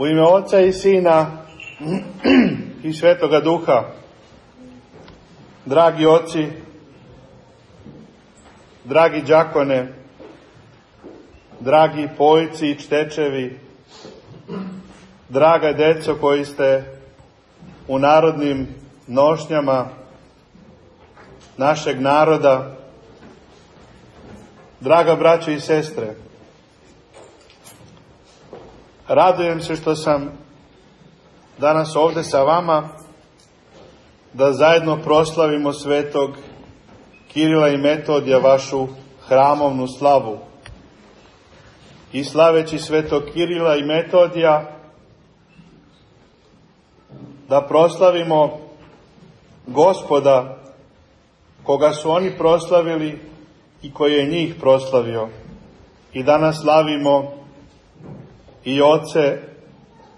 U ime Oca i Sina i Svetoga Duha. Dragi oci, dragi đakone, dragi pojci i čtečevi, draga deco koji ste u narodnim nošnjama našeg naroda, draga braćo i sestre, radujem se što sam danas ovde sa vama da zajedno proslavimo svetog Kirila i Metodija, vašu hramovnu slavu. I slaveći svetog Kirila i Metodija da proslavimo Gospoda koga su oni proslavili i koji je njih proslavio. I danas slavimo i oce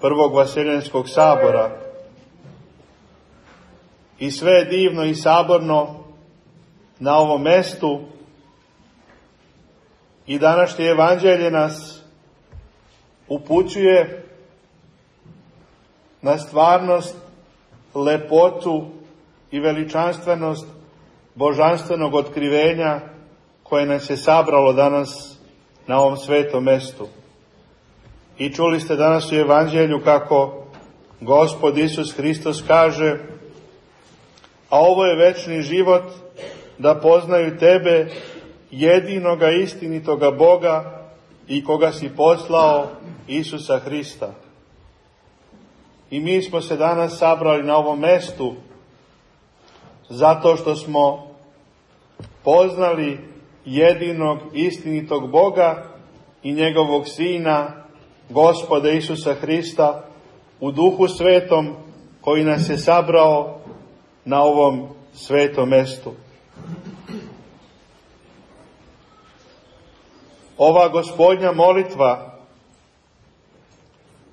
Prvog Vaseljenskog sabora. I sve je divno i saborno na ovom mestu i današnje evanđelje nas upućuje na stvarnost, lepotu i veličanstvenost božanstvenog otkrivenja koje nas je sabralo danas na ovom svetom mestu. I čuli ste danas u evanđelju kako Gospod Isus Hristos kaže: a ovo je večni život, da poznaju tebe, jedinoga istinitoga Boga i koga si poslao, Isusa Hrista. I mi smo se danas sabrali na ovom mestu zato što smo poznali jedinog istinitog Boga i njegovog Sina, Gospoda Isusa Hrista, u Duhu Svetom koji nas je sabrao na ovom svetom mestu. Ova Gospodnja molitva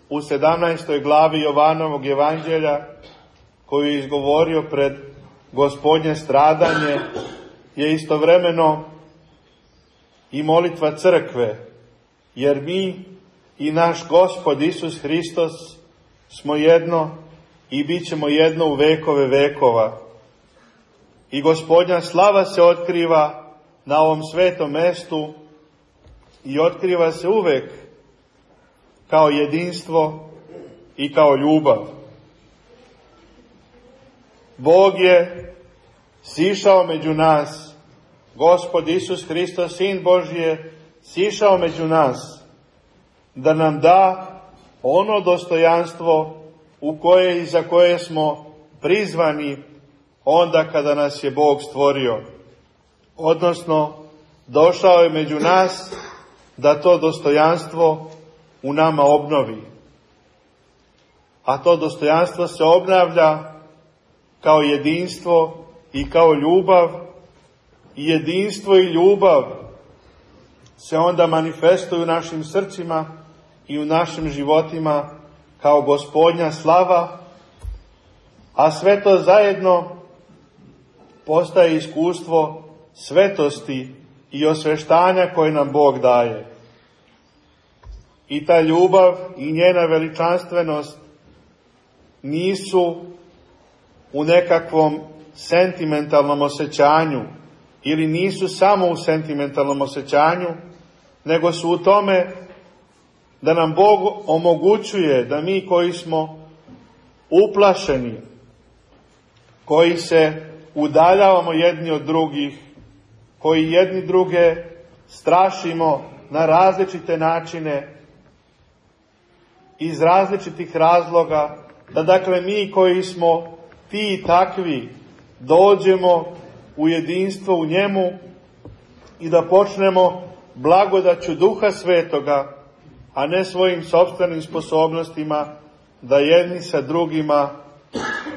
u 17. glavi Jovanovog evanđelja, koju je izgovorio pred Gospodnje stradanje, je istovremeno i molitva crkve, jer mi i naš Gospod Isus Hristos smo jedno i bit ćemo jedno u vekove vekova. I Gospodnja slava se otkriva na ovom svetom mestu i otkriva se uvek kao jedinstvo i kao ljubav. Bog je sišao među nas, Gospod Isus Hristos, Sin Božji je sišao među nas da nam da ono dostojanstvo u koje i za koje smo prizvani onda kada nas je Bog stvorio. Odnosno, došao je među nas da to dostojanstvo u nama obnovi. A to dostojanstvo se obnavlja kao jedinstvo i kao ljubav. I jedinstvo i ljubav se onda manifestuju u našim srcima i u našim životima kao Gospodnja slava, a sve to zajedno postaje iskustvo svetosti i osveštanja koje nam Bog daje. I ta ljubav i njena veličanstvenost nisu u nekakvom sentimentalnom osjećanju ili nisu samo u sentimentalnom osjećanju, nego su u tome da nam Bog omogućuje da mi koji smo uplašeni, koji se udaljavamo jedni od drugih, koji jedni druge strašimo na različite načine, iz različitih razloga, da dakle mi koji smo ti i takvi dođemo u jedinstvo u njemu i da počnemo blagodaću Duha Svetoga, a ne svojim sopstvenim sposobnostima, da jedni sa drugima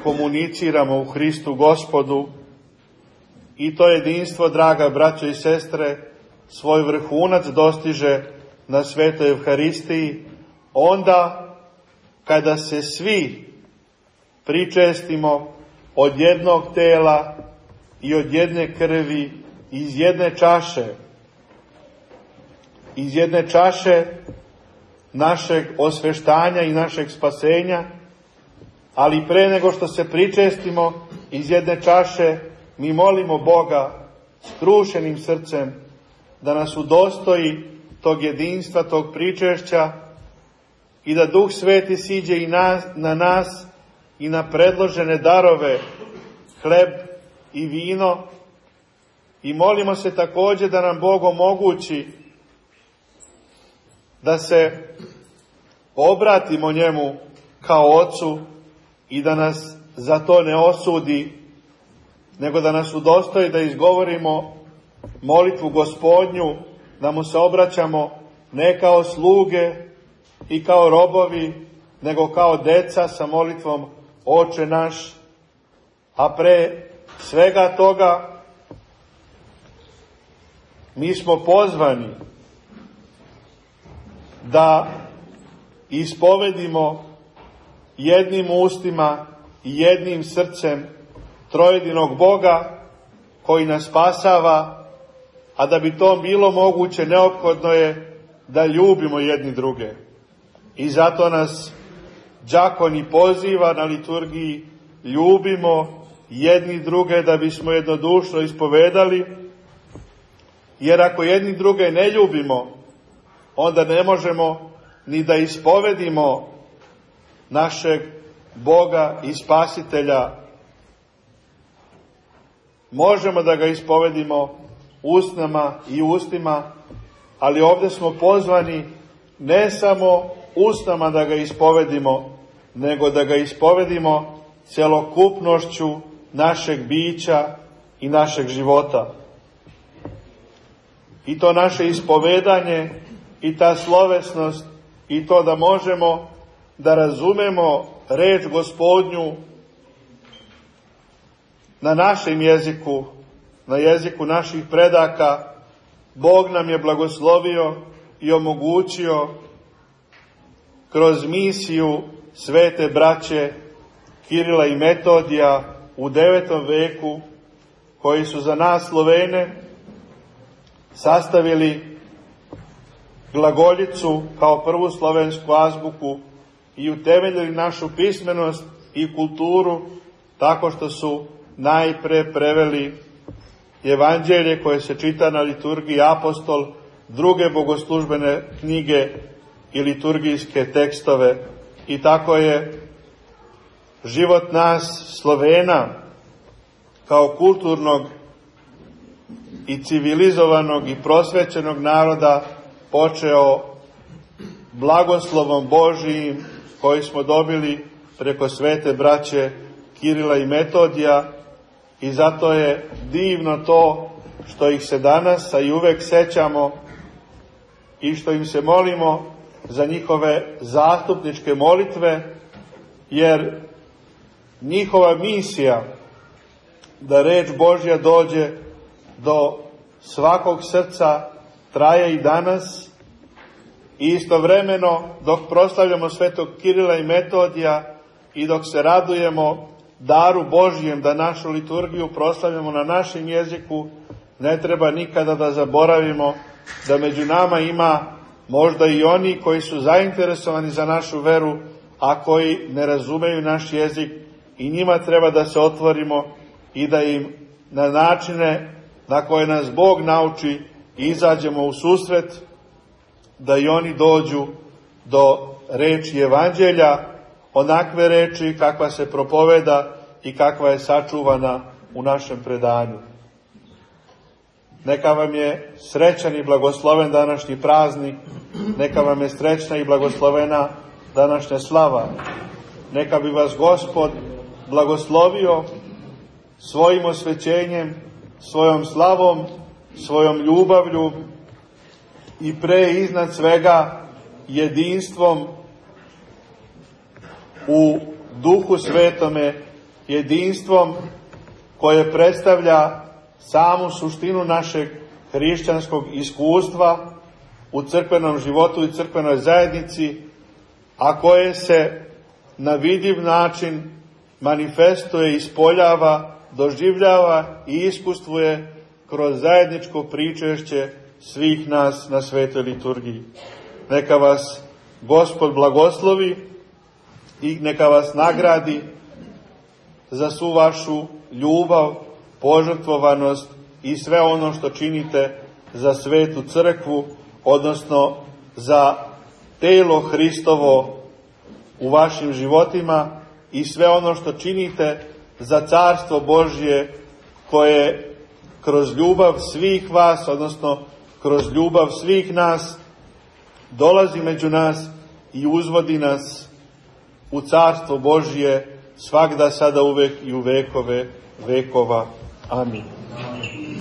komuniciramo u Hristu Gospodu. I to jedinstvo, draga braćo i sestre, svoj vrhunac dostiže na Svetoj Evharistiji, onda kada se svi pričestimo od jednog tela i od jedne krvi, iz jedne čaše. Iz jedne čaše našeg osveštanja i našeg spasenja, ali pre nego što se pričestimo iz jedne čaše, mi molimo Boga skrušenim srcem da nas udostoji tog jedinstva, tog pričešća i da Duh Sveti siđe i na nas i na predložene darove, hleb i vino, i molimo se također da nam Bog omogući da se obratimo njemu kao Ocu i da nas za to ne osudi, nego da nas udostoji da izgovorimo molitvu Gospodnju, da mu se obraćamo ne kao sluge i kao robovi, nego kao deca sa molitvom Oče naš, a pre svega toga mi smo pozvani da ispovedimo jednim ustima i jednim srcem trojedinog Boga koji nas spasava, a da bi to bilo moguće neophodno je da ljubimo jedni druge. I zato nas đakon i poziva na liturgiji: ljubimo jedni druge da bismo jednodušno ispovedali, jer ako jedni druge ne ljubimo, onda ne možemo ni da ispovedimo našeg Boga i Spasitelja. Možemo da ga ispovedimo usnama i ustima, ali ovdje smo pozvani ne samo usnama da ga ispovedimo, nego da ga ispovedimo celokupnošću našeg bića i našeg života. I to naše ispovedanje i ta slovesnost i to da možemo da razumemo reč Gospodnju na našem jeziku, na jeziku naših predaka, Bog nam je blagoslovio i omogućio kroz misiju svete braće Kirila i Metodija u 9. veku, koji su za nas Slovene sastavili glagoljicu kao prvu slovensku azbuku i utemeljili našu pismenost i kulturu tako što su najpre preveli evanđelje koje se čita na liturgiji Apostol, druge bogoslužbene knjige i liturgijske tekstove. I tako je život nas Slovena kao kulturnog i civilizovanog i prosvećenog naroda počeo blagoslovom Božijim koji smo dobili preko svete braće Kirila i Metodija, i zato je divno to što ih se danas, a i uvek sećamo i što im se molimo za njihove zastupničke molitve, jer njihova misija da reč Božja dođe do svakog srca traje i danas, i istovremeno dok proslavljamo svetog Kirila i Metodija i dok se radujemo daru Božjem da našu liturgiju proslavljamo na našem jeziku, ne treba nikada da zaboravimo da među nama ima možda i oni koji su zainteresovani za našu veru, a koji ne razumeju naš jezik, i njima treba da se otvorimo i da im na načine na koje nas Bog nauči izađemo u susret, da i oni dođu do reči evanđelja, onakve reči kakva se propoveda i kakva je sačuvana u našem predanju. Neka vam je srećan i blagosloven današnji praznik, neka vam je srećna i blagoslovena današnja slava. Neka bi vas Gospod blagoslovio svojim osvećenjem, svojom slavom, svojom ljubavlju i pre iznad svega jedinstvom u Duhu Svetome, jedinstvom koje predstavlja samu suštinu našeg hrišćanskog iskustva u crkvenom životu i crkvenoj zajednici, a koje se na vidljiv način manifestuje, ispoljava, doživljava i iskustvuje kroz zajedničko pričešće svih nas na svetoj liturgiji. Neka vas Gospod blagoslovi i neka vas nagradi za svu vašu ljubav, požrtvovanost i sve ono što činite za svetu crkvu, odnosno za telo Hristovo u vašim životima i sve ono što činite za carstvo Božje koje kroz ljubav svih vas, odnosno kroz ljubav svih nas, dolazi među nas i uzvodi nas u carstvo Božje svagda, sada, uvek i u vekove vekova. Amin.